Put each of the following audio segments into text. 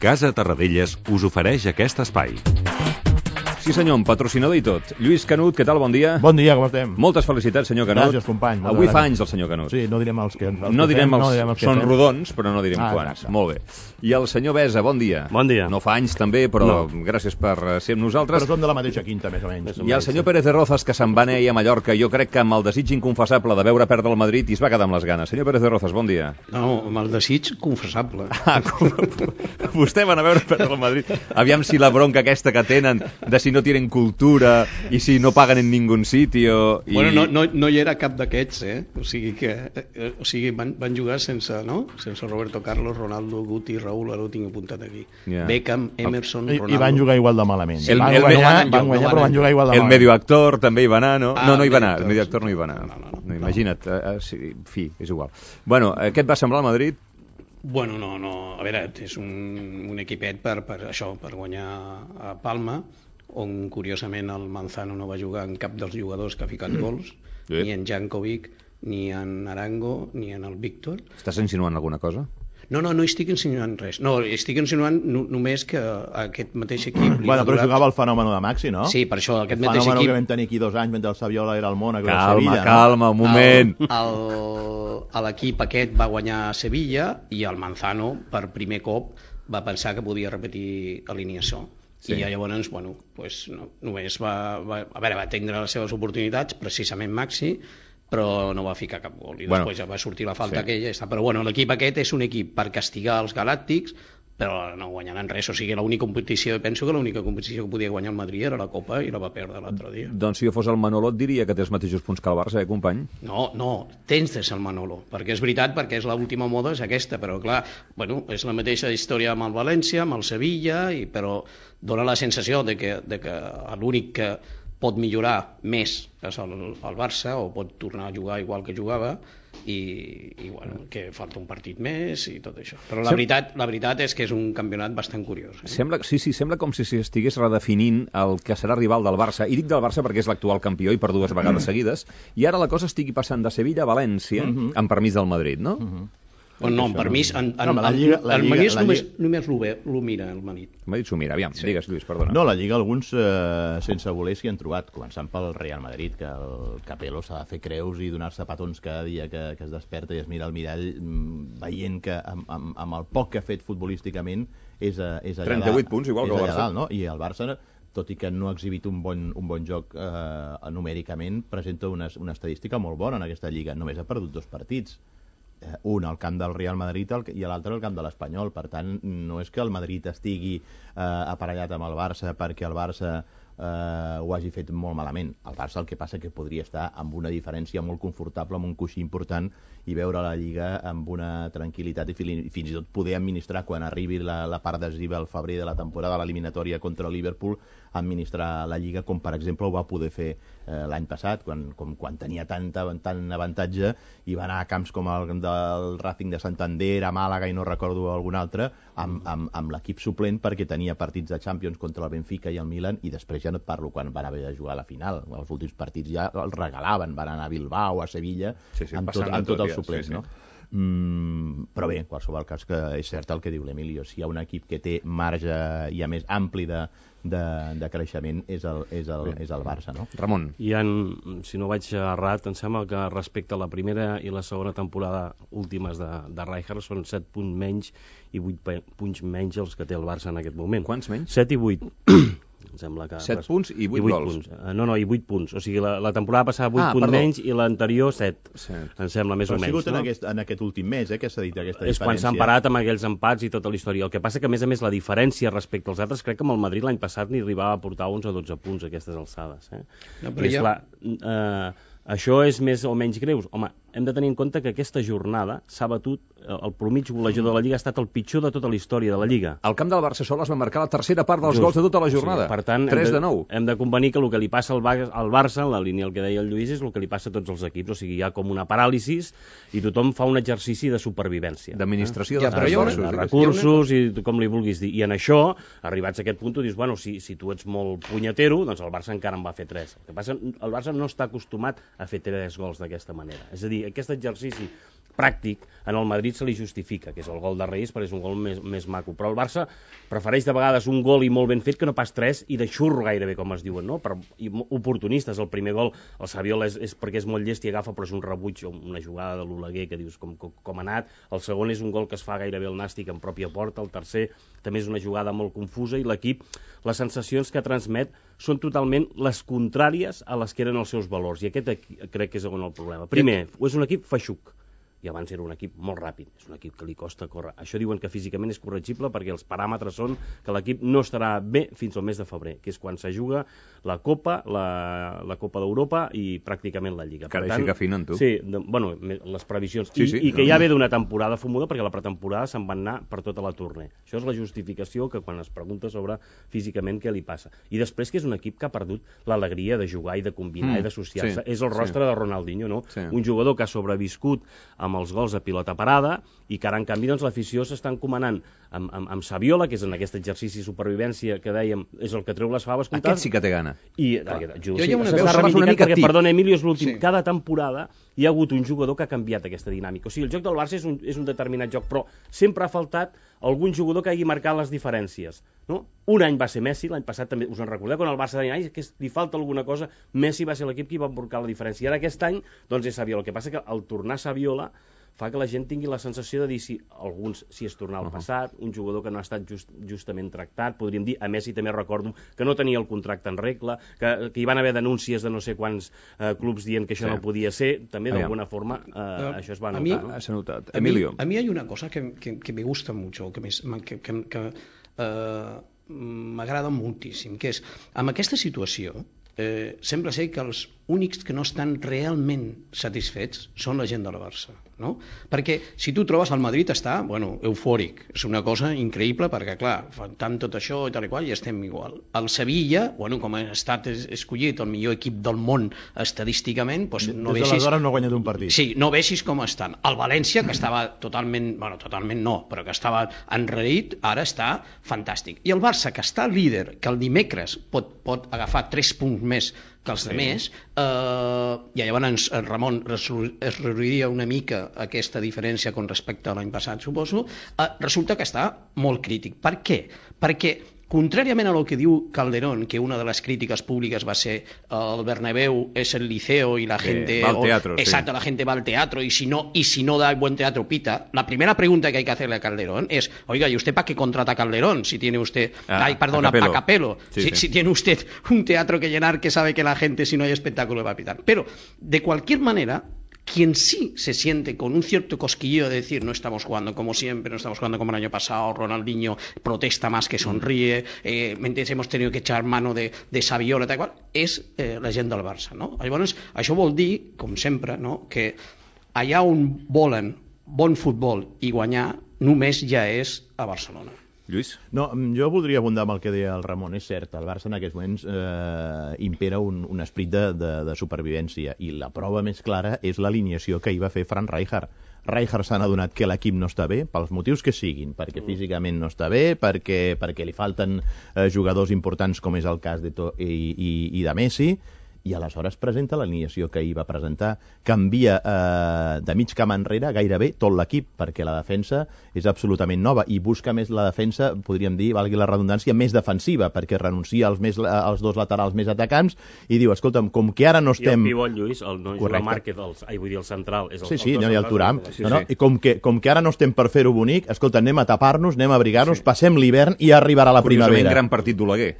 Casa Terradellas us ofereix aquest espai. Sí senyor, amb patrocinador i tot. Lluís Canut, què tal? Bon dia. Bon dia, com estem? Moltes felicitats, senyor Canut. Gràcies, company. Avui fa anys el senyor Canut. Sí, no direm els que... No direm els que són rodons, però no direm quants. Exacte. Molt bé. I el senyor Besa, bon dia. Bon dia. No fa anys també, però gràcies per ser amb nosaltres. Però som de la mateixa quinta, més o menys. I el senyor Pérez de Rozas, que se'n va anar a Mallorca, jo crec que amb el desig inconfessable de veure perdre el Madrid i es va quedar amb les ganes. Senyor Pérez de Rozas, bon dia. No, amb el desig confessable. Vostè van a veure perdre el Madrid. Aviam si la bronca aquesta que tenen de si no tienen cultura i si no paguen en ningun sitio i... Bueno, no hi era cap d'aquests, o sigui van jugar sense Roberto Carlos, Ronaldo, Guti, Raúl, ara ho tinc apuntat aquí. Beckham, Emerson, Ronaldo. I van jugar igual de malament. Van guanyar, però van jugar igual de malament. El medioactor també hi va anar, no? No hi va anar, el medioactor no hi va anar. No, imagina't, fi, és igual. Bueno, què et va semblar el Madrid? Bueno, no, a veure, és un equipet per guanyar a Palma, on curiosament el Manzano no va jugar en cap dels jugadors que ha ficat gols, ni en Jankovic, ni en Arango, ni en el Víctor. Estàs insinuant alguna cosa? No estic insinuant res. No, estic insinuant només que aquest mateix equip... Bueno, però jugava el fenòmeno de Maxi, no? Sí, per això, aquest mateix equip... El fenòmeno que vam tenir aquí 2 anys mentre el Saviola era al Mónaco. Calma, un moment. L'equip aquest va guanyar a Sevilla i el Manzano, per primer cop, va pensar que podia repetir alineació. Sí. I llavors, només va tindre les seves oportunitats, precisament Maxi, però no va ficar cap gol. I després ja va sortir la falta aquella. Però l'equip aquest és un equip per castigar els galàctics, però no guanyaran res. O sigui, penso que l'única competició que podia guanyar el Madrid era la Copa i la va perdre l'altre dia. Doncs si jo fos el Manolo et diria que té els mateixos punts que el Barça, company? No, tens de ser el Manolo, perquè és veritat, perquè és l'última moda, és aquesta, però clar, és la mateixa història amb el València, amb el Sevilla, però dona la sensació de que l'únic que pot millorar més és el Barça, o pot tornar a jugar igual que jugava, i que falta un partit més i tot això. Però la veritat és que és un campionat bastant curiós. Sembla com si estigués redefinint el que serà rival del Barça, i dic del Barça perquè és l'actual campió i per 2 vegades seguides, i ara la cosa estigui passant de Sevilla a València, amb permís del Madrid, no? No, amb permís, el Madrid només ho mira, el Madrid. El Madrid s'ho mira, aviam, digues, Lluís, perdona. No, la Lliga alguns sense voler s'hi han trobat, començant pel Real Madrid, que el Capello s'ha de fer creus i donar-se petons cada dia que es desperta i es mira al mirall, veient que amb el poc que ha fet futbolísticament és allà 38 punts, igual que el Barça. No? I el Barça, tot i que no ha exhibit un bon joc numèricament, presenta una estadística molt bona en aquesta Lliga. Només ha perdut 2 partits. Un al camp del Real Madrid i l'altre al camp de l'Espanyol. Per tant, no és que el Madrid estigui aparellat amb el Barça perquè el Barça ho hagi fet molt malament. El Barça el que passa que podria estar amb una diferència molt confortable, amb un coixí important, i veure la Lliga amb una tranquil·litat i fins i tot poder administrar quan arribi la part decisiva al febrer de la temporada, l'eliminatòria contra el Liverpool, administrar la Lliga com per exemple ho va poder fer l'any passat, quan tenia tant avantatge i va anar a camps com el del Racing de Santander, a Màlaga i no recordo algun altre, amb l'equip suplent perquè tenia partits de Champions contra el Benfica i el Milan, i després ja no et parlo quan van haver de jugar a la final. Els últims partits ja els regalaven, van anar a Bilbao, a Sevilla, amb tot els suplents, no? Però bé, en qualsevol cas, que és cert el que diu l'Emilio, si hi ha un equip que té marge i a més ampli de creixement és el Barça, no? Ramon. Si no vaig errat, em sembla que respecte a la primera i la segona temporada últimes de Rijkaard són 7 punts menys i 8 punts menys els que té el Barça en aquest moment. Quants menys? 7 i 8. Em sembla que 7 punts i 8 gols. No, i 8 punts. O sigui, la temporada passada 8 punts menys i l'anterior 7. Em sembla més o menys. Però ha sigut en aquest últim mes que s'ha dit aquesta diferència. És quan s'han parat amb aquells empats i tota la història. El que passa que, a més, la diferència respecte als altres, crec que amb el Madrid l'any passat ni arribava a portar 11 o 12 punts a aquestes alçades. No, però és clar, això és més o menys greus. Home, hem de tenir en compte que aquesta jornada s'ha batut, el promig golejador de la Lliga ha estat el pitjor de tota la història de la Lliga. El camp del Barça sol es va marcar la tercera part dels gols de tota la jornada. Per tant, 3-9. Hem de convenir que el que li passa al Barça, en la línia el que deia el Lluís, és el que li passa a tots els equips. O sigui, hi ha com una paràlisis i tothom fa un exercici de supervivència. D'administració de recursos i com li vulguis dir. I en això, arribats a aquest punt, tu dius, bueno, si tu ets molt punyetero, doncs el Barça encara en va fer 3. El que passa, el Barça no està acostumat a fer 3 gols d'aquesta manera. És a dir, aquest exercici pràctic, en el Madrid se li justifica, que és el gol de Reis, perquè és un gol més maco. Però el Barça prefereix de vegades un gol i molt ben fet que no pas 3 i de xurro gairebé, com es diuen, no? I oportunistes. El primer gol, el Saviola és perquè és molt llest i agafa, però és un rebuig o una jugada de l'Oleguer que dius com ha anat. El segon és un gol que es fa gairebé el nàstic en pròpia porta. El tercer també és una jugada molt confusa i l'equip, les sensacions que transmet són totalment les contràries a les que eren els seus valors. I aquest crec que és el problema. Primer, és un equip feixuc. I abans era un equip molt ràpid, és un equip que li costa córrer. Això diuen que físicament és corregible perquè els paràmetres són que l'equip no estarà bé fins al mes de febrer, que és quan se juga la Copa, la Copa d'Europa i pràcticament la Lliga. Carai, sí que afinen, tu. Sí, bueno, les previsions. I que ja ve d'una temporada fumuda perquè la pretemporada se'n va anar per tota la tournée. Això és la justificació que quan es pregunta sobre físicament què li passa. I després que és un equip que ha perdut l'alegria de jugar i de combinar i d'associar-se. És el rostre de Ronaldinho, no? Un jugador que ha sobreviscut amb els gols a pilota parada i que ara, en canvi, l'eficiós s'està encomanant amb Saviola, que és en aquest exercici de supervivència que dèiem, és el que treu les faves comptades. Aquest sí que té gana. I perdona, Emilio, és l'últim. Cada temporada hi ha hagut un jugador que ha canviat aquesta dinàmica. O sigui, el joc del Barça és un determinat joc, però sempre ha faltat algun jugador que hagi marcat les diferències. No? Un any va ser Messi, l'any passat també, us en recordeu, quan el Barça deia que li falta alguna cosa, Messi va ser l'equip que va marcar la diferència. I ara aquest any, doncs és Saviola. El que passa que al tornar Saviola fa que la gent tingui la sensació de dir si és tornar al passat, un jugador que no ha estat justament tractat, podríem dir, a Messi també recordo que no tenia el contracte en regla, que hi van haver denúncies de no sé quants clubs dient que això no podia ser, també d'alguna forma això es va notar. S'ha notat. Emilio. A mí hay una cosa que me gusta mucho, que m'agrada moltíssim, que és, amb aquesta situació, sembla ser que els únics que no estan realment satisfets són la gent del Barça, no? Perquè si tu trobes el Madrid està, eufòric, és una cosa increïble perquè, clar, fan tot això i tal i qual i estem igual. El Sevilla, com ha estat escollit el millor equip del món estadísticament, doncs no veixis... Des d'aleshores no ha guanyat un partit. Sí, no veixis com estan. El València, que estava totalment no, però que estava enraït, ara està fantàstic. I el Barça, que està líder, que el dimecres pot agafar 3 punts més que els altres, i llavors Ramon es reduiria una mica aquesta diferència con respecte a l'any passat, suposo, resulta que està molt crític. Per què? Perquè contrariament a lo que diu Calderón, que una de les crítiques públiques va ser el Bernabéu és el liceo y la gente va al teatro, exacto, la gente va al teatro y si no da buen teatro pita. La primera pregunta que hay que hacerle a Calderón es, oiga, ¿y usted para qué contrata a Calderón si tiene usted, a Capello, si tiene usted un teatro que llenar que sabe que la gente si no hay espectáculo va a pitar? Pero de cualquier manera, quien sí se siente con un cierto cosquilleo de decir no estamos jugando como siempre, no estamos jugando como el año pasado, Ronaldinho protesta más que sonríe, hemos tenido que echar mano de Saviola, tal qual, és la gent del Barça, no? Llavors, això vol dir, com sempre, no? Que allà on volen bon futbol i guanyar només ja és a Barcelona. Lluís? No, jo voldria abundar amb el que deia el Ramon. És cert, el Barça en aquests moments impera un esperit de supervivència i la prova més clara és l'alineació que hi va fer Frank Rijkaard. Rijkaard s'ha adonat que l'equip no està bé, pels motius que siguin, perquè físicament no està bé, perquè li falten jugadors importants com és el cas de i de Messi, i aleshores presenta l'alineació que ahir va presentar, canvia de mig camp enrere gairebé tot l'equip, perquè la defensa és absolutament nova, i busca més la defensa, podríem dir, valgui la redundància, més defensiva, perquè renuncia als dos laterals més atacants, i diu, escolta'm, com que ara no estem... I el pivot, Lluís, la Márquez, vull dir, el central... És no hi ha el Thuram. I com que ara no estem per fer-ho bonic, escolta, anem a tapar-nos, anem a abrigar-nos, passem l'hivern i arribarà la primavera. Curiosament, gran partit d'Oleguer.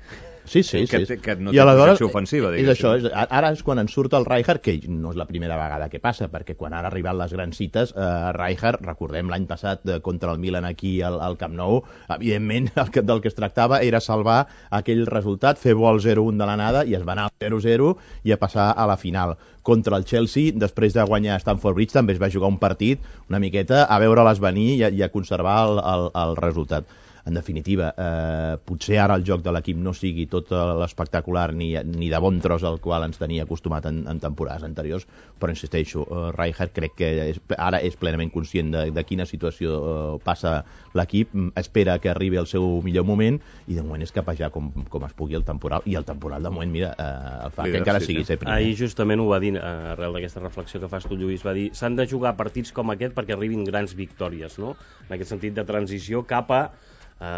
Sí. Que no té projecció ofensiva, diguéssim. És això, ara és quan ens surt el Rijkaard, que no és la primera vegada que passa, perquè quan han arribat les grans cites, Rijkaard, recordem l'any passat contra el Milan aquí al Camp Nou, evidentment del que es tractava era salvar aquell resultat, fer bo el 0-1 de l'anada i es va anar al 0-0 i a passar a la final. Contra el Chelsea, després de guanyar Stamford Bridge, també es va jugar un partit una miqueta a veure-les venir i a conservar el resultat. en definitiva, potser ara el joc de l'equip no sigui tot l'espectacular ni de bon tros al qual ens tenia acostumat en temporades anteriors, però insisteixo, Rijkaard crec que ara és plenament conscient de quina situació passa l'equip, espera que arribi el seu millor moment i de moment és capejar com es pugui el temporal, i el temporal de moment, mira, el fa que encara sigui ser primer. Ahir justament ho va dir, arrel d'aquesta reflexió que fas tu, Lluís, va dir, s'han de jugar partits com aquest perquè arribin grans victòries, no? En aquest sentit de transició cap a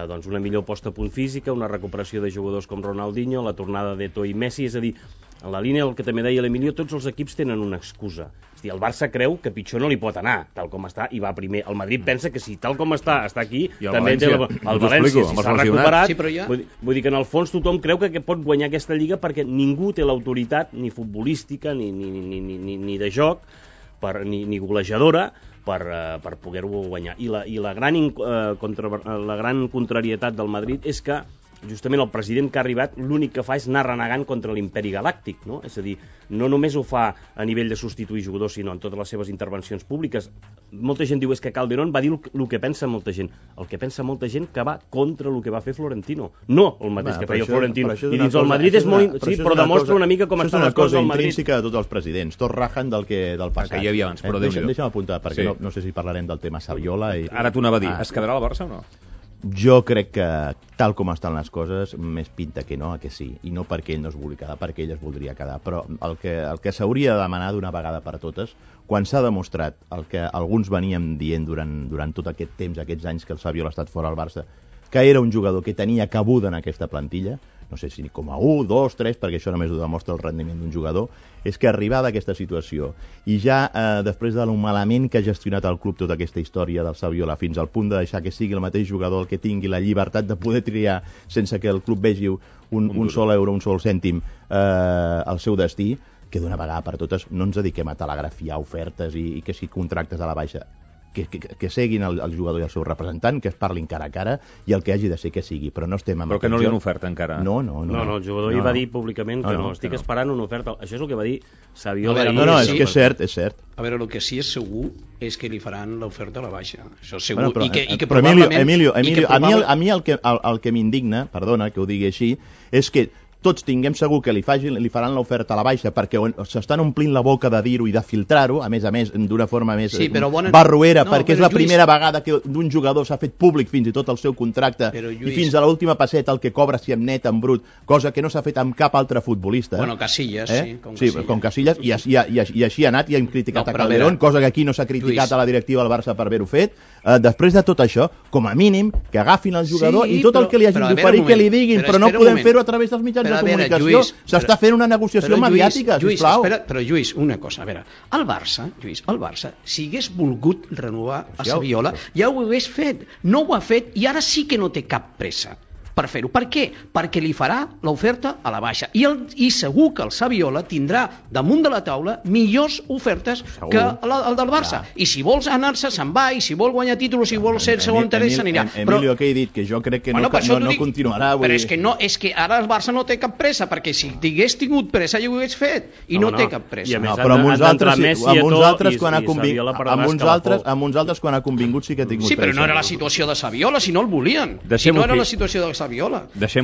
doncs una millor posta a punt física, una recuperació de jugadors com Ronaldinho, la tornada d'Eto'o i Messi, és a dir, en la línia del que també deia l'Emilio, tots els equips tenen una excusa. És a dir, el Barça creu que pitjor no li pot anar, tal com està, i va primer. El Madrid pensa que si tal com està aquí, també té el València, si s'ha recuperat. Sí, vull dir que en el fons tothom creu que pot guanyar aquesta lliga perquè ningú té l'autoritat, ni futbolística, ni de joc, ni golejadora, per poder-ho guanyar. I la gran contrarietat del Madrid és que justament el president que ha arribat l'únic que fa és anar renegant contra l'imperi galàctic, no? És a dir, no només ho fa a nivell de substituir jugadors, sinó en totes les seves intervencions públiques. Molta gent diu és que Calderón va dir el que pensa molta gent. El que pensa molta gent que va contra el que va fer Florentino. No el mateix que feia Florentino. I dins el Madrid és molt... Sí, però demostra una mica com estan les coses al Madrid. Això és una cosa intrínseca de tots els presidents. Tots rajen del passat. Que hi havia abans, però deixa'm apuntar, perquè no sé si parlarem del tema Saviola. Ara t'ho anava a dir. Es quedarà al Barça o no? Jo crec que, tal com estan les coses, més pinta que no, que sí. I no perquè ell no es vulgui quedar, perquè ell es voldria quedar. Però el que s'hauria de demanar d'una vegada per totes, quan s'ha demostrat el que alguns veníem dient durant tot aquest temps, aquests anys que el Saviola ha estat fora al Barça, que era un jugador que tenia cabuda en aquesta plantilla, no sé si com a 1, 2, 3, perquè això només ho demostra el rendiment d'un jugador, és que arribada a aquesta situació i ja després de lo malament que ha gestionat el club tota aquesta història del Saviola fins al punt de deixar que sigui el mateix jugador el que tingui la llibertat de poder triar sense que el club vegi un sol euro, un sol cèntim el seu destí, que d'una vegada per totes no ens dediquem a telegrafiar ofertes i que si contractes a la baixa, que seguin el jugador i el seu representant, que es parlin cara a cara i el que hagi de ser que sigui, però no estem amb... Però que no li han ofert encara. No, el jugador hi va dir públicament que no, estic esperant una oferta. Això és el que va dir Saviola. No, és que és cert. A veure, el que sí és segur és que li faran l'oferta a la baixa. Això és segur. Però Emilio, a mi el que m'indigna, perdona que ho digui així, és que tots tinguem segur que li faran l'oferta a la baixa perquè s'estan omplint la boca de dir-ho i de filtrar-ho, a més, d'una forma més barroera, perquè és la primera vegada que d'un jugador s'ha fet públic fins i tot el seu contracte i fins a l'última passeta el que cobra si en net, en brut, cosa que no s'ha fet amb cap altre futbolista. Bueno, Casillas, sí. Sí, com Casillas, i així ha anat i hem criticat a Calderón, cosa que aquí no s'ha criticat a la directiva del Barça per haver-ho fet. Després de tot això, com a mínim, que agafin el jugador i tot el que li hagin d'oferir que li diguin, però no podem fer-ho a través dels mitjans de comunicació. S'està fent una negociació mediàtica, sisplau. Però, Lluís, una cosa, a veure, el Barça, si hagués volgut renovar a Saviola, ja ho hagués fet. No ho ha fet i ara sí que no té cap pressa per fer-ho. Per què? Perquè li farà l'oferta a la baixa. I segur que el Saviola tindrà damunt de la taula millors ofertes que el del Barça. I si vols anar-se, se'n va, i si vol guanyar títols, si vol ser segon tercer, s'anirà. Emilio, què he dit? Que jo crec que no continuarà. Però és que ara el Barça no té cap pressa, perquè si tingués tingut pressa ja ho hagués fet, i no té cap pressa. Però amb uns altres quan ha convingut sí que ha tingut pressa. Sí, però no era la situació de Saviola, si no el volien. Si no era la situació de Saviola.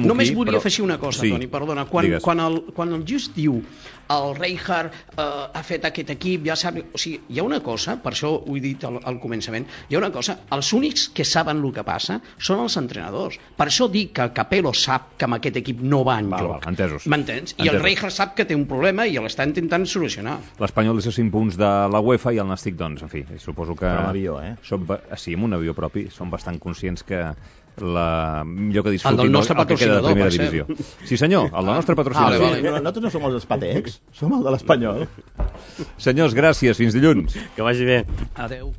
Només volia afegir una cosa, Toni, perdona. Quan el Just diu el Rijkaard ha fet aquest equip, ja sap... O sigui, hi ha una cosa, per això ho he dit al començament, hi ha una cosa, els únics que saben el que passa són els entrenadors. Per això dic que Capello sap que amb aquest equip no va enlloc. Entesos. M'entens? I el Rijkaard sap que té un problema i l'està intentant solucionar. L'Espanyol és a 5 punts de la UEFA i el Nàstic, doncs, en fi, suposo que... Amb un avió, Sí, amb un avió propi. Som bastant conscients que millor que disfrutin el nostre patrocinador, de primera divisió. Sí, senyor, el del nostre patrocinador. Nosaltres no som els Spatex, som el de l'Espanyol. Senyors, gràcies, fins dilluns. Que vagi bé. Adeu.